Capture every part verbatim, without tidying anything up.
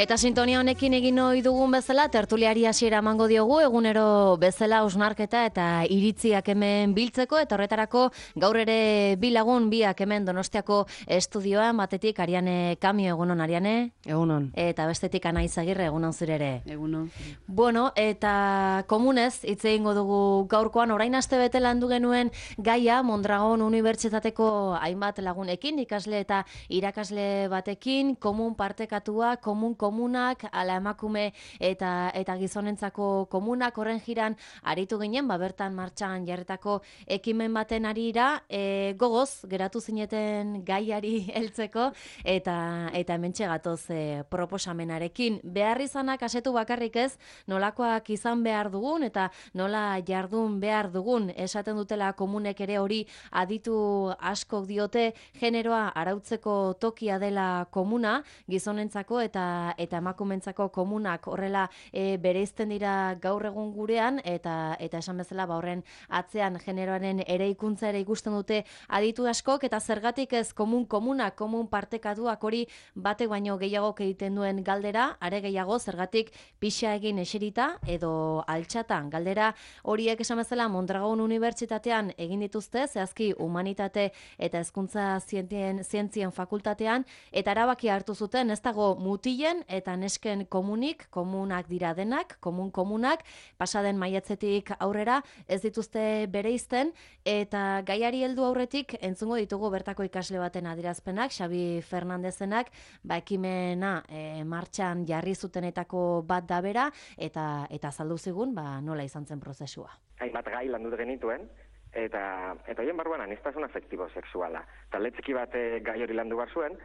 Eta sintonia honekin egin ohi dugun bezala, tertuliari hasiera emango diogu, egunero bezala hausnarketa eta iritziak hemen biltzeko, eta horretarako gaur ere bi lagun biak hemen Donostiako estudioan, batetik Ariane Kamio, egunon Ariane? Egunon. Eta bestetik Ana Izagirre, egunon zure ere? Egunon. Bueno, eta komunez, hitz egingo dugu gaurkoan, orain aste bete landu genuen gaia, Mondragon Unibertsitateko hainbat lagunekin, ikasle eta irakasle batekin, komun partekatua, komun komunak, ala emakume eta eta gizonentzako komunak, horren jiran aritu ginen, ba bertan martxan jarretako ekimen baten arira, e, gogoz geratu zineten gaiari heltzeko eta eta hementxe gatoz e, proposamenarekin. Behar izanak asetu bakarrik ez, nolakoak izan behar dugun eta nola jardun behar dugun, esaten dutela komunek ere hori aditu askok diote, generoa arautzeko tokia dela komuna, gizonentzako eta eta emakumentzako komunak horrela e, bereizten dira gaur egun gurean, eta eta esan bezala ba horren atzean generoaren eraikuntza ere ikusten dute aditu askok, eta zergatik ez komun komunak, komun partekatuak, hori batek baino gehiago egiten duen galdera, are gehiago zergatik pixa egin eserita edo altxatan. Galdera horiek esan bezala Mondragon Unibertsitatean egin dituzte, zehazki humanitate eta hezkuntza zientzien, zientzien fakultatean, eta erabaki hartu zuten ez dago mutilen eta nesken komunik, komunak dira denak, komun komunak, pasaden maiatzetik aurrera ez dituzte bereizten, eta gaiari heldu aurretik entzungo ditugu bertako ikasle baten adierazpenak, Xabi Fernandezenak, ba ekimena e, martxan jarri zutenetako bat da bera, eta eta azaldu zigun ba nola izan zen prozesua. Hainbat gai landu genituen, eta eta hoien barruan aniztasun afektibo sexuala. Talde txiki bat gai hori landu behar zuen,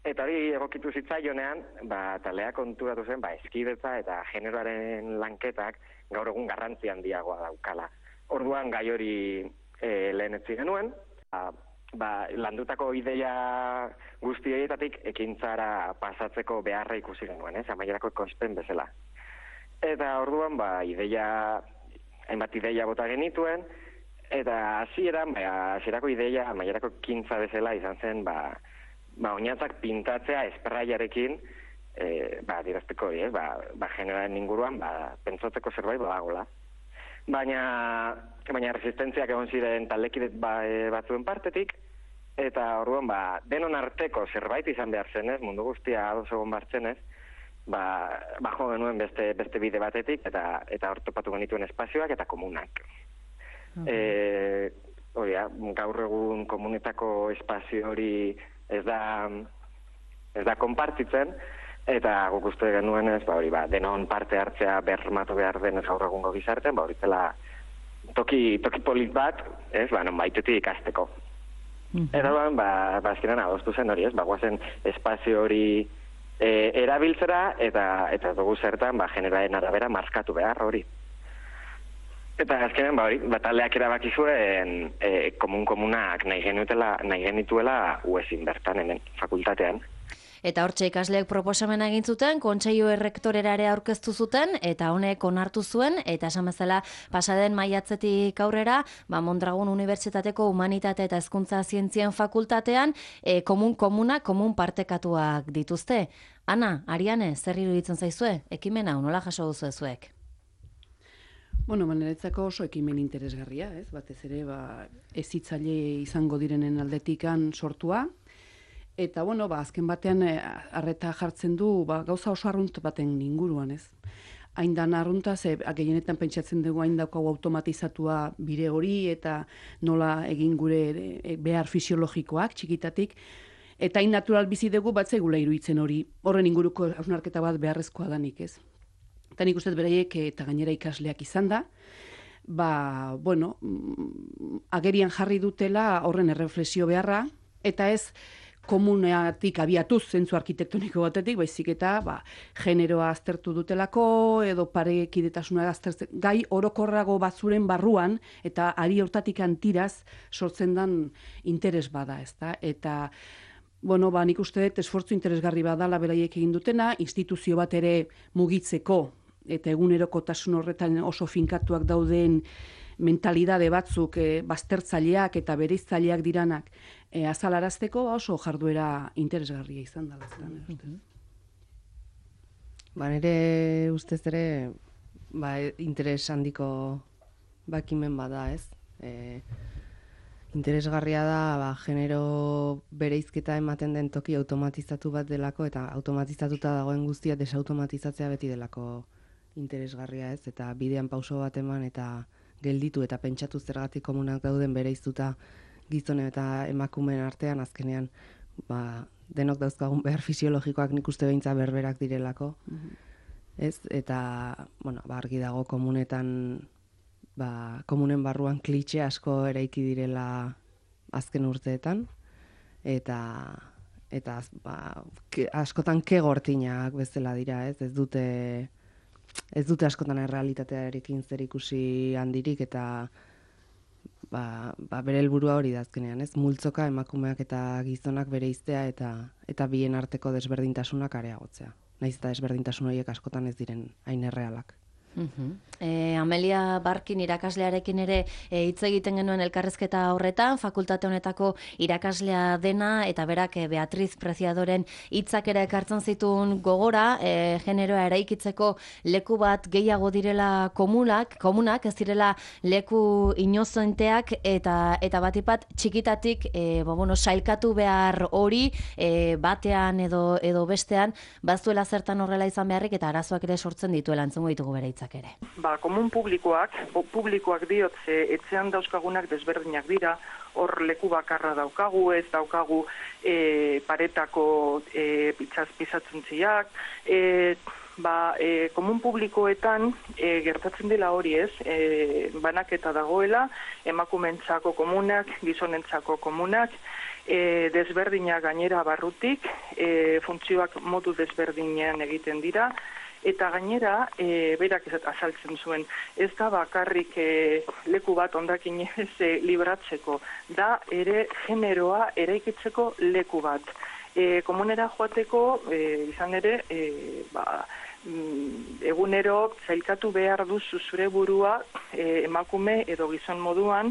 eta hori egokitu zitzaionean, ba, talea konturatu zen, ba, eskidetza eta generoaren lanketak gaur egun garrantzi handiagoa daukala. Orduan gai hori e, lehenetzi genuen, ba, ba, landutako ideia guzti horietatik ekintzara pasatzeko beharra ikusi genuen, ez, amaierako kospen bezala. Eta orduan, ba, ideia, hainbat ideia bota genituen, eta hasieran, ba, hasierako ideia amaierako ekintza bezala izan zen, ba, ba, oinatzak pintatzea espraiarekin, e, ba, dirazteko hori, eh? ba, ba, generaren inguruan, ba, pentsatzeko zerbait badagola. Baina, baina resistentziak egon ziren taldekidet ba, e, batzuen partetik, eta orduan, ba, denon arteko zerbait izan behar zenez, mundu guztia ados egon bartzenez, ba, bajo genuen beste, beste bide batetik, eta eta hor topatu genituen espazioak eta komunak. Uh-huh. E, hori, gaur egun komunetako espazio hori ez da ez da konpartitzen, eta guk uste genuen ez, ba hori, ba, denon parte hartzea bermatu behar denez gaur egungo gizartean, ba hori zela toki, toki polit bat, ez, ba, non baitetik ikasteko. Mm-hmm. Eta ba, ba, azkenan adostu zen hori, ez, ba, guazen espazio hori e, erabiltzera, eta eta dugu zertan, ba, generaren arabera markatu behar hori. Eta azkenean, ba hori, bataldeak erabaki zuen e, komun-komunak nahi genituela, nahi genituela uezin bertan, hemen, fakultatean. Eta hortxe ikasleek proposamena egin zuten, kontseilu errektorera ere aurkeztu zuten, eta honek onartu zuen, eta esan bezala pasaden maiatzetik aurrera, ba Mondragon Unibertsitateko Humanitate eta Hezkuntza Zientzien fakultatean, e, komun-komunak, komun partekatuak dituzte. Ana, Ariane, zer iruditzen zaizue? Ekimen hau nola jaso duzu zuek? Bueno, niretzako oso ekimen interesgarria, ez? Batez ere, ba, hezitzaile izango direnen aldetikan sortua, eta, bueno, ba, azken batean arreta jartzen du, ba, gauza oso arrunt baten inguruan, ez? Haindan arrunta, ze gehienetan pentsatzen dugu hain daukagu automatizatua bide hori, eta nola egin gure behar fisiologikoak txikitatik, eta hain natural bizi dugu batzegula iruditzen hori, horren inguruko hausnarketa bat beharrezkoa danik, ez? Eta nik uste beraiek eta gainera ikasleak izan da, ba, bueno, agerian jarri dutela horren erreflexio beharra, eta ez komuneatik abiatuz zentzu arkitektoniko batetik, baizik eta ba, generoa aztertu dutelako, edo parekidetasuna aztertzen, gai orokorrago batzuren barruan, eta ari hortatik antiraz sortzen dan interes bada, ezta? Eta bueno, ba, nik uste dut esfortzu interesgarri badala beraiek egin dutena, instituzio bat ere mugitzeko, eta egunerokotasun horretan oso finkatuak dauden mentalidade batzuk e, baztertzaileak eta bereiztzaileak diranak e, azalarazteko oso jarduera interesgarria izan da. Ba, nire ustez ere, ba, interes handiko bakimen bada, ez? E, interesgarria da, ba, genero bereizketa ematen den toki automatizatu bat delako, eta automatizatuta dagoen guztia desautomatizatzea beti delako interesgarria, ez? Eta bidean pauso bat eman eta gelditu eta pentsatu zergatik komunak dauden bereiztuta gizone eta emakumeen artean azkenean, ba, denok dauzkagun behar fisiologikoak nik uste beintza berberak direlako. Ez? Eta, bueno, ba, argi dago komunetan, ba, komunen barruan klitxe asko eraiki direla azken urteetan, eta eta ba, ke, askotan kegortinak bezala dira, ez? Ez dute ez dute askotan errealitatearekin zerikusi handirik, eta ba, ba bere helburua hori da azkenean, ez? Multzoka emakumeak eta gizonak bereiztea eta eta bien arteko desberdintasunak areagotzea. Naiz eta desberdintasun horiek askotan ez diren hain errealak. Uh-huh. E, Amelia Barkin irakaslearekin ere e, hitz egiten genuen elkarrezketa horretan, fakultate honetako irakaslea dena, eta berak e, Beatriz Preciadoren hitzak ere ekartzen zituen gogora, e, generoa eraikitzeko leku bat gehiago direla komunak, komunak ez direla leku inozenteak, eta eta batipat txikitatik e, bo, bueno, sailkatu behar hori e, batean edo edo bestean, bazuela zertan horrela izan beharrik, eta arazoak ere sortzen dituela, entzungo ditugu bere hitzak ere. Ba, komun publikoak, publikoak diot, ze etxean dauzkagunak desberdinak dira, hor leku bakarra daukagu, ez daukagu e, paretako e, pitzaz pizatzentziak, e, ba, e, komun publikoetan e, gertatzen dela hori, ez, e, banaketa dagoela, emakumentzako komunak, gizonentzako komunak, e, desberdinak gainera barrutik, e, funtzioak modu desberdinean egiten dira, eta gainera, e, berak azaltzen zuen, ez da bakarrik e, leku bat hondakin ez e, libratzeko, da ere generoa eraikitzeko leku bat. E, komunera joateko, e, izan ere, e, ba, egunero zailkatu behar duzu zure burua e, emakume edo gizon moduan,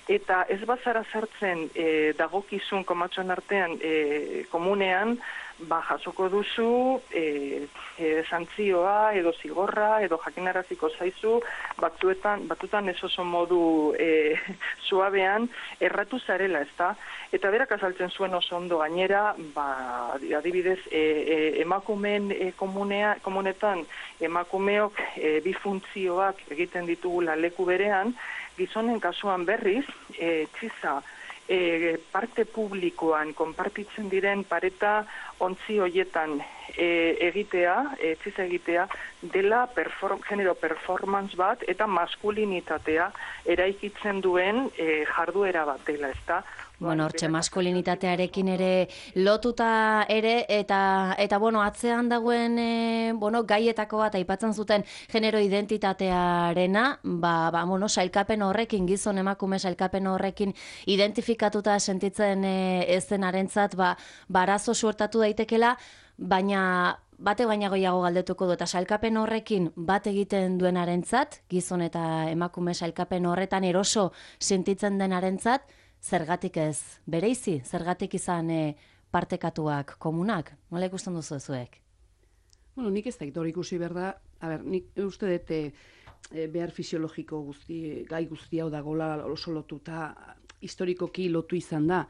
eta ez bazara sartzen e, dagokizun komatxon artean e, komunean, ba, jasoko duzu e, e, santzioa edo zigorra edo jakinaraziko zaizu batzuetan, batutan ez oso modu e, suabean erratu zarela, ezta? Eta berak azaltzen zuen oso ondo gainera, ba, adibidez, e, e, emakumeen e, komunea, komunetan emakumeok e, bi funtzioak egiten ditugula leku berean, gizonen kasuan berriz, e, txiza, E, parte publikoan konpartitzen diren pareta ontzi hoietan e, egitea, e, txiz egitea, dela perform, genero performance bat eta maskulinitatea eraikitzen duen e, jarduera bat dela, ezta? Bueno, hortxe maskulinitatearekin ere lotuta ere, eta eta bueno, atzean dagoen e, bueno, gaietako bat aipatzen zuten genero identitatearena, ba, ba, bueno, sailkapen horrekin, gizon emakume sailkapen horrekin identifikatuta sentitzen e, ezenarentzat, ba, barazo suertatu daitekela, baina bate baina goiago galdetuko du, eta sailkapen horrekin bat egiten duenarentzat, gizon eta emakume sailkapen horretan eroso sentitzen denarentzat, zergatik ez bereizi, zergatik izan e, partekatuak komunak? Nola ikusten duzu zuek? Bueno, nik ez da hori ikusi behar da, a ber, nik uste dut e, behar fisiologiko guzti, gai guzti hau dagoela oso lotuta, historikoki lotu izan da,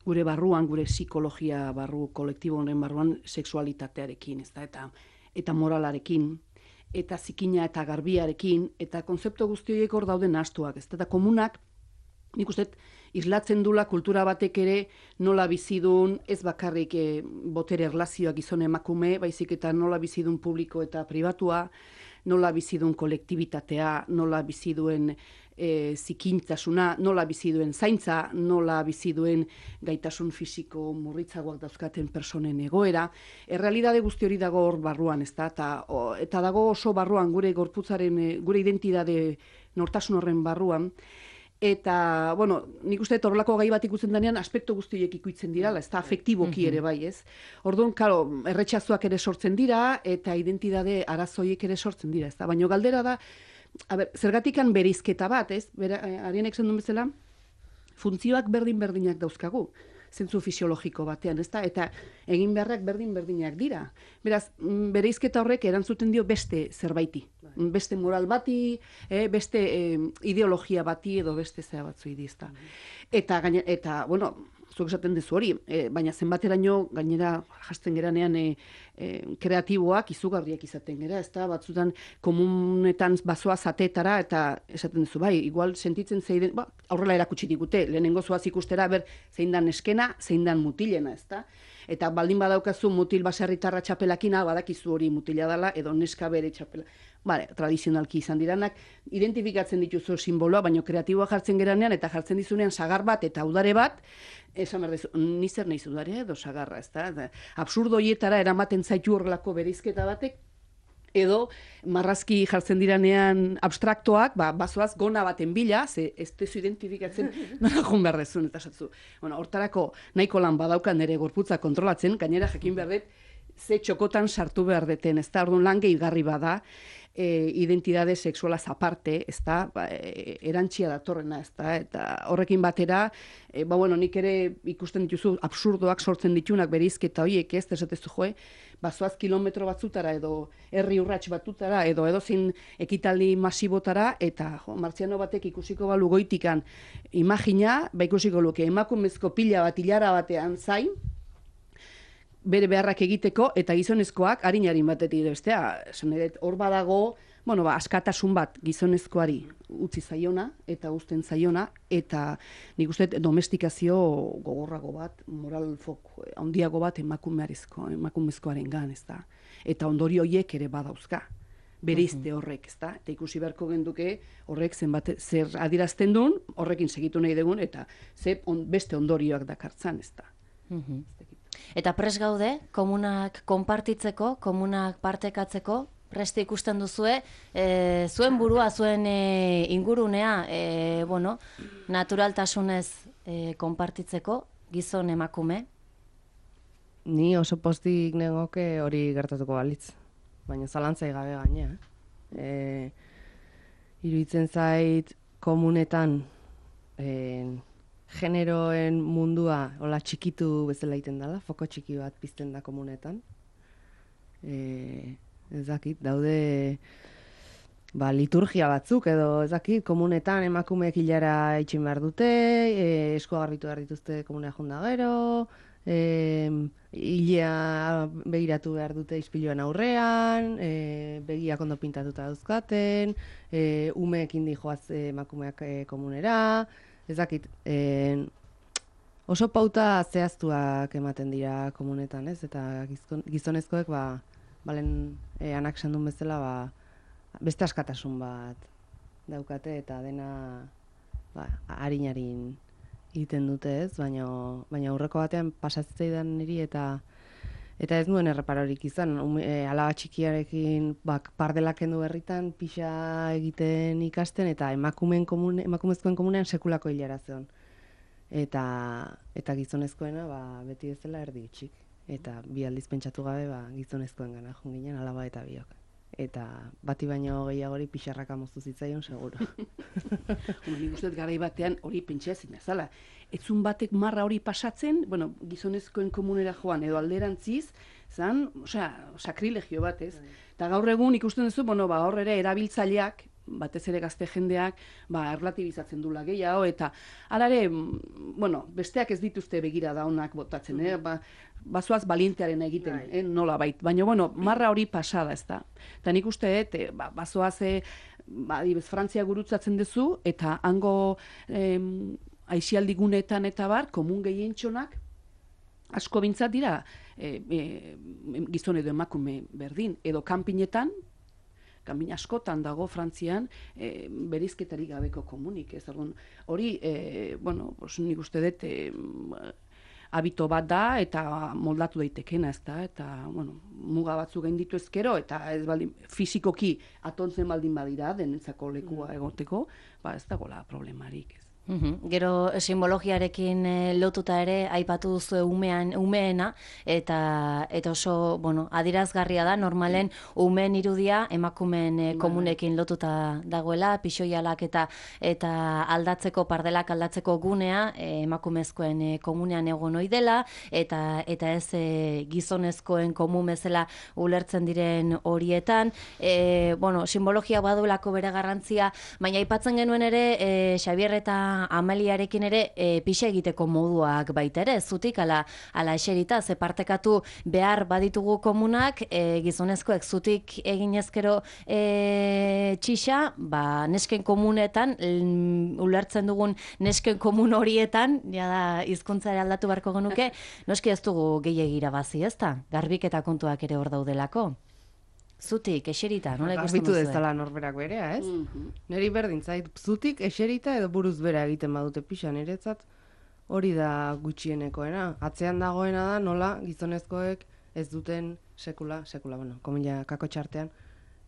gure barruan, gure psikologia barru, kolektibo honen barruan, sexualitatearekin, ez da, eta, eta moralarekin, eta zikina eta garbiarekin, eta konzeptu guzti horiek hor dauden astuak, ez da, eta komunak, nik uste, islatzen dula kultura batek ere nola bizidun, ez bakarrik e, botere erlazioak gizon emakume, baizik eta nola bizidun publiko eta pribatua, nola bizidun kolektibitatea, nola biziduen e, zikintasuna, nola biziduen zaintza, nola biziduen gaitasun fisiko murritzagoak dauzkaten personen egoera. Errealidade guzti hori dago hor barruan, ez da? Eta, o, eta dago oso barruan gure gorputzaren, gure identitate nortasun horren barruan. Eta, bueno, nik uste horrelako gai bat ikutzen denean aspektu guztiek ikuitzen dirala, ez da afektiboki ere bai, ez? Orduan, karo, erretxazuak ere sortzen dira, eta identitate arazoiek ere sortzen dira, ez da? Baina galdera da, a ber, zergatikan bereizketa bat, ez? Bera, Arianek zen duen bezala, funtzioak berdin-berdinak dauzkagu. zentzu fisiologiko batean, ezta? Eta egin beharrak berdin-berdinak dira. Beraz, bereizketa horrek erantzuten dio beste zerbaiti. Beste moral bati, eh, beste eh, ideologia bati edo beste zea batzu idizta. Eta, gaine, eta, bueno, zuek esaten duzu hori, e, baina zenbateraino gainera jasten geranean e, e, kreatiboak izugarriak izaten gera, ez da, batzutan komunetan bazoa zatetara, eta esaten duzu, bai, igual sentitzen zeiden, ba, aurrela erakutsi digute, lehenengo zoaz ikustera, ber, zein dan eskena, zein dan mutilena, ez da, eta baldin badaukazu mutil baserritarra txapelakina, badakizu hori mutila dela, edo neska bere txapela. Bale, tradizionalki izan diranak, identifikatzen dituzu simboloa, baina kreatiboa jartzen geranean, eta jartzen dizunean sagar bat eta udare bat, esan behar dezu, ni zer nahiz udare edo sagarra, ez da? Absurdo hietara eramaten zaitu horrelako bereizketa batek, edo marrazki jartzen diranean abstraktoak, ba, bazoaz gona baten bila, ze ez tezu identifikatzen nola joan behar dezun, eta esatzu. Bueno, hortarako nahiko lan badaukan nire gorputza kontrolatzen, gainera jakin behar dut, ze txokotan sartu behar deten, ez da, orduan lan gehigarri bada, e, identidade sexualaz aparte, ez da, ba, e, erantxia datorrena, ez da, eta horrekin batera, e, ba, bueno, nik ere ikusten dituzu absurdoak sortzen ditunak bereizketa horiek, ez, esatezu joe, bazoaz kilometro batzutara, edo herri urrats batutara, edo edo zin ekitaldi masibotara, eta jo, martziano batek ikusiko balu goitikan imagina, ba ikusiko luke, emakumezko pila bat hilara batean zain, bere beharrak egiteko, eta gizonezkoak harin-harin batetik bestea. Esan edet, hor badago, bueno, ba, askatasun bat gizonezkoari utzi zaiona, eta uzten zaiona, eta nik uste domestikazio gogorrago bat, moral fok handiago bat emakumearizko, emakumezkoaren gan, ez da. Eta ondori horiek ere badauzka. Bereizte horrek, ez da. Eta ikusi beharko genduke horrek zenbat, zer adirazten duen, horrekin segitu nahi dugun, eta ze on, beste ondorioak dakartzan, ez da. Eta pres gaude, komunak konpartitzeko, komunak partekatzeko, preste ikusten duzue, e, zuen burua, zuen e, ingurunea, e, bueno, naturaltasunez e, konpartitzeko, gizon emakume? Ni oso postik negoke hori gertatuko balitz, baina zalantzai gabe gainea. E, iruditzen zait komunetan, e, generoen mundua hola txikitu bezala egiten dela, foko txiki bat pizten da komunetan. E, ez dakit, daude ba, liturgia batzuk edo ez dakit, komunetan emakumeek hilara itxin behar dute, e, eskua garbitu behar dituzte komunea jonda gero, e, hilea begiratu behar dute ispiluan aurrean, e, begiak ondo pintatuta dauzkaten, e, umeekin dijoaz emakumeak e, komunera, ez dakit, eh, oso pauta zehaztuak ematen dira komunetan, ez? Eta gizon, gizonezkoek, ba, balen eh, anak sandun bezala, ba, beste askatasun bat daukate, eta dena ba, harin-harin egiten dute, ez? Baina, baina aurreko batean pasatzeidan niri, eta eta ez nuen erreparorik izan, um, e, alaba txikiarekin bak, pardelak kendu berritan, pixa egiten ikasten, eta emakumeen komune, emakumezkoen komunean sekulako hilara zeon. Eta, eta gizonezkoena ba, beti bezala erdi itxik. Eta bi aldiz pentsatu gabe ba, gizonezkoen gana joan ginen alaba eta biok. Eta bati baino gehiagori pixarraka moztu zitzaion, seguro. Nik uste garai batean hori pentsa ezin bezala. Etzun batek marra hori pasatzen, bueno, gizonezkoen komunera joan, edo alderantziz, zan, osea, sakrilegio bat, ez? Eta gaur egun ikusten duzu, bueno, ba, hor ere erabiltzaileak, batez ere gazte jendeak, ba, erlatibizatzen dula gehiago, eta alare, bueno, besteak ez dituzte begira da onak botatzen, eh? Ba, bazoaz balientearen egiten, eh? Nola bait. Baina, bueno, marra hori pasada, ez da. Eta nik uste, eh, ba, bazoaz, eh, ba, dibez, Frantzia gurutzatzen duzu, eta hango eh, aixialdi gunetan eta bar, komun gehientxonak, asko bintzat dira, eh, eh, gizon edo emakume berdin, edo kanpinetan, kanpin askotan dago Frantzian, eh, bereizketarik gabeko komunik, ez dagoen. Hori, eh, bueno, pues, nik uste dut, eh, habito bat da, eta moldatu daitekena, ez da, eta, bueno, muga batzu gainditu ezkero, eta ez baldin, fizikoki atontzen baldin badira, denentzako lekua egoteko, ba ez dagoela problemarik, ez. Uhum. Gero simbologiarekin e, lotuta ere aipatu duzu umean umeena eta eta oso, bueno, adirazgarria da normalen umeen irudia emakumeen e, komunekin lotuta dagoela, pixoialak eta eta aldatzeko pardelak aldatzeko gunea e, emakumezkoen e, komunean egon ohi dela eta eta ez e, gizonezkoen komun bezala ulertzen diren horietan, e, bueno, simbologia badulako bere garrantzia, baina aipatzen genuen ere e, Xabier eta Amaliarekin ere e, pixa egiteko moduak baita ere, zutik ala, ala eserita, ze partekatu behar baditugu komunak, e, gizonezkoek zutik eginezkero e, txixa, ba, nesken komunetan, l, ulertzen dugun nesken komun horietan, ja da, hizkuntzara aldatu beharko genuke, noski ez dugu gehiagira bazi, ezta? Garbiketa kontuak ere hor daudelako. Zutik, eserita, nola ikusten Garbitu duzu? dezala norberak berea, ez? Mhm. Neri berdin zait, zutik, eserita edo buruz bera egiten badute pixa, niretzat hori da gutxienekoena. Atzean dagoena da nola gizonezkoek ez duten sekula, sekula, bueno, komila kako txartean,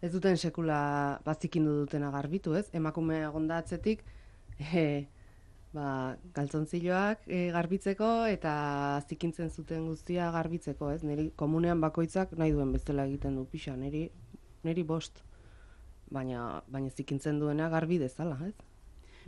ez duten sekula bazikindu dutena garbitu, ez? Emakume egonda atzetik, e, ba, galtzontziloak e, garbitzeko eta zikintzen zuten guztia garbitzeko, ez? Niri komunean bakoitzak nahi duen bezala egiten du pixa, niri, niri bost. Baina, baina zikintzen duena garbi dezala, ez?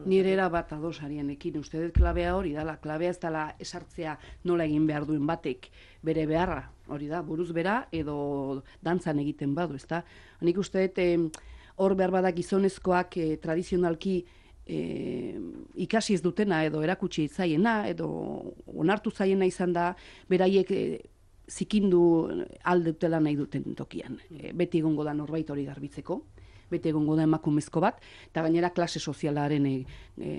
Nire era bat ados arianekin, uste dut klabea hori dala, klabea ez dala esartzea nola egin behar duen batek bere beharra, hori da, buruz bera edo dantzan egiten badu, ezta? Nik uste dut eh, hor behar badak gizonezkoak eh, tradizionalki E, ikasi ez dutena edo erakutsi zaiena edo onartu zaiena izan da beraiek e, zikindu aldutela nahi duten tokian. E, beti egongo da norbait hori garbitzeko, beti egongo da emakumezko bat, eta gainera klase sozialaren e, e,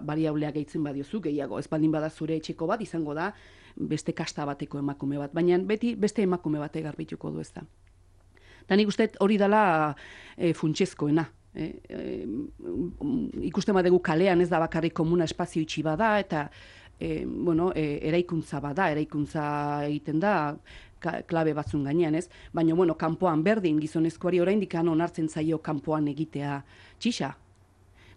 variablea gehitzen badiozu, gehiago, ez baldin bada zure etxeko bat, izango da beste kasta bateko emakume bat, baina beti beste emakume bate garbituko du ez da. Eta nik uste hori dela e, funtsezkoena. E, e, ikusten badegu kalean ez da bakarrik komuna espazio itxi bada eta e, bueno, e, eraikuntza bada, eraikuntza egiten da ka, klabe batzun gainean, ez? Baina bueno, kanpoan berdin gizonezkoari oraindik onartzen zaio kanpoan egitea txixa.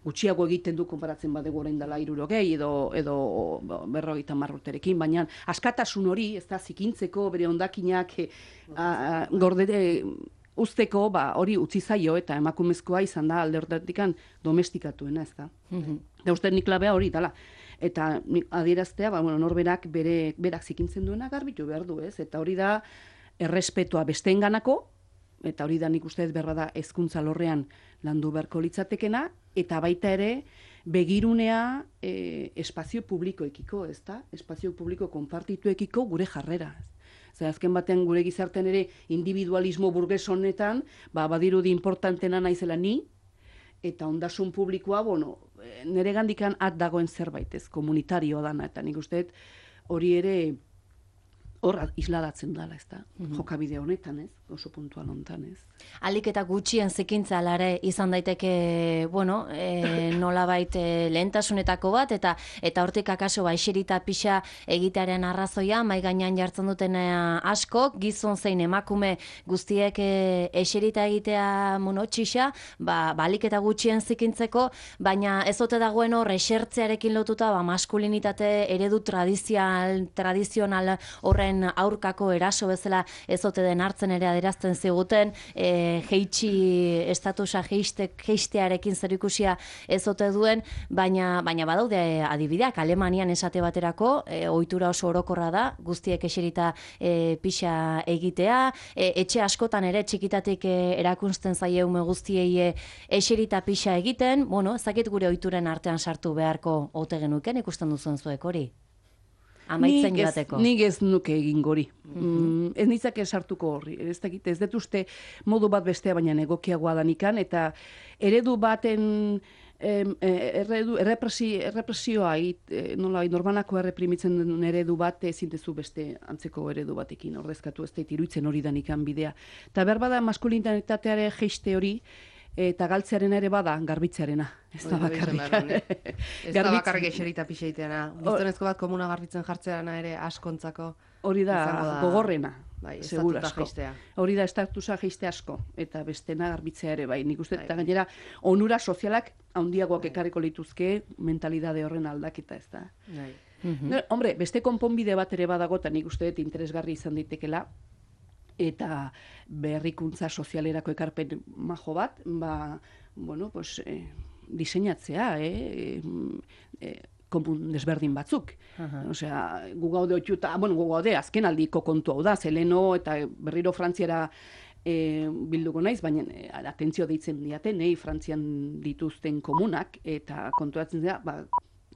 Gutxiago egiten du konparatzen badegu orain dela hirurogei edo edo berrogeita hamar urterekin, baina askatasun hori, ez da zikintzeko bere hondakinak e, gorde usteko, ba, hori utzi zaio eta emakumezkoa izan da alde horretikan domestikatuena, ez da. Mm-hmm. Da uste nik klabea hori dala. Eta adieraztea, ba, bueno, norberak bere, berak zikintzen duena garbitu behar du, ez? Eta hori da errespetua besteenganako, eta hori da nik uste ez berra da hezkuntza lorrean landu beharko litzatekena, eta baita ere begirunea e, espazio publikoekiko, ez da? Espazio publiko konpartituekiko gure jarrera, ez? Zer, azken batean gure gizartean ere individualismo burges honetan, ba, badirudi importantena naizela ni, eta ondasun publikoa, bueno, nire gandikan at dagoen zerbait, ez, komunitarioa dana, eta nik uste hori ere hor isladatzen dela, ez da, mm-hmm. jokabide honetan, ez, oso puntual honetan, ez. Alik eta gutxien zikintza alare izan daiteke, bueno, e, nolabait e, lehentasunetako bat, eta eta hortik akaso ba, eserita pixa egitearen arrazoia, mai gainean jartzen duten asko, gizon zein emakume guztiek e, eserita egitea monotxixa, ba, ba alik eta gutxien zikintzeko, baina ez ote dagoen hor esertzearekin lotuta, ba, maskulinitate eredu tradizional, tradizional horren aurkako eraso bezala ez ote den hartzen ere adierazten ziguten, e, jeitsi estatusa jeistek jeistearekin zerikusia ez ote duen, baina baina badaude adibideak Alemanian esate baterako, e, ohitura oso orokorra da, guztiek eserita e, pixa egitea, e, etxe askotan ere txikitatik e, erakunsten zaie ume guztiei e, eserita pixa egiten, bueno, ez dakit gure ohituren artean sartu beharko ote genuken ikusten duzuen zuek hori. Amaitzen nik ez, joateko. Nik ez nuke egin gori. Mm-hmm. Ez nitzake sartuko horri. Ez dakit, ez dut uste modu bat bestea baina egokiagoa danikan, eta eredu baten em, erredu, errepresi, errepresioa it, nola, norbanako erreprimitzen den eredu bat ezin dezu beste antzeko eredu batekin ordezkatu, ez dut iruitzen hori danikan bidea. Eta behar bada maskulinitateare jeiste hori, eta galtzearen ere bada garbitzearena. Ez da bakarrik. Ez da bakarrik eserita pixeiteana. Gizonezko bat komuna garbitzen jartzearena ere askontzako. Hori da gogorrena. bai, seguru estatuta asko. jaistea. Hori da estatusa jaiste asko, eta bestena garbitzea ere, bai, nik uste, eta gainera, onura sozialak handiagoak ekarriko lituzke mentalidade horren aldaketa, ez da. Bai. No, hombre, beste konponbide bat ere badago, eta nik uste dut interesgarri izan daitekela, eta berrikuntza sozialerako ekarpen majo bat, ba, bueno, pues, eh, diseinatzea, eh, eh, komun desberdin batzuk. Uh-huh. Osea, gu gaude otxuta, bueno, gu gaude azken aldiko kontu hau da, zeleno eta berriro Frantziara e, bilduko naiz, baina e, atentzio deitzen diate, nei Frantzian dituzten komunak, eta konturatzen dira, ba,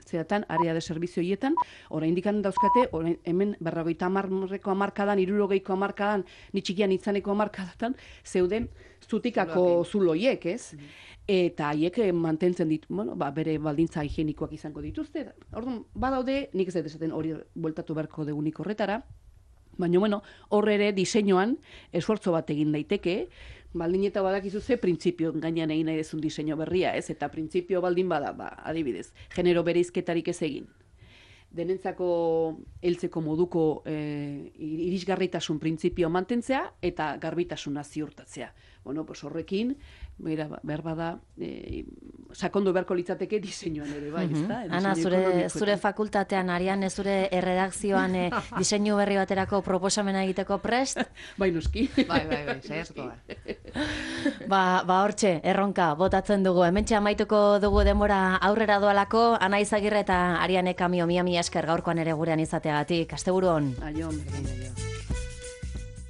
zeratan, area de servizio hietan, oraindik dauzkate, orain, hemen berrogeita hamarreko hamarkadan, hirurogeiko hamarkadan, nitxikian itzaneko hamarkadatan, zeuden zutikako zuloiek, ez? Mm-hmm. Eta haiek mantentzen ditu, bueno, ba, bere baldintza higienikoak izango dituzte. Orduan, badaude, nik ez dut esaten hori bueltatu beharko degunik horretara, baina, bueno, horre ere diseinuan esfortzo bat egin daiteke, baldin eta badakizu ze printzipio gainean egin nahi dezun diseinu berria, ez? Eta printzipio baldin bada, ba, adibidez, genero bereizketarik ez egin. Denentzako heltzeko moduko e, irisgarritasun printzipio mantentzea eta garbitasuna ziurtatzea. Bueno, pues horrekin, bera, behar bada, e, sakondu beharko litzateke diseinuan ere, bai, mm-hmm. ezta? Ana, zure, zure fakultatean, Ariane, zure erredakzioan e, diseinu berri baterako proposamena egiteko prest? Bai, noski. Bai, bai, bai, saiatuko da. Ba, ba hortxe, erronka, botatzen dugu. Hementxe amaituko dugu denbora aurrera doalako, Ana Izagirre eta Ariane Kamio, mia mia esker gaurkoan ere gurean izateagatik. Asteburu on. Aion, berdin, aion.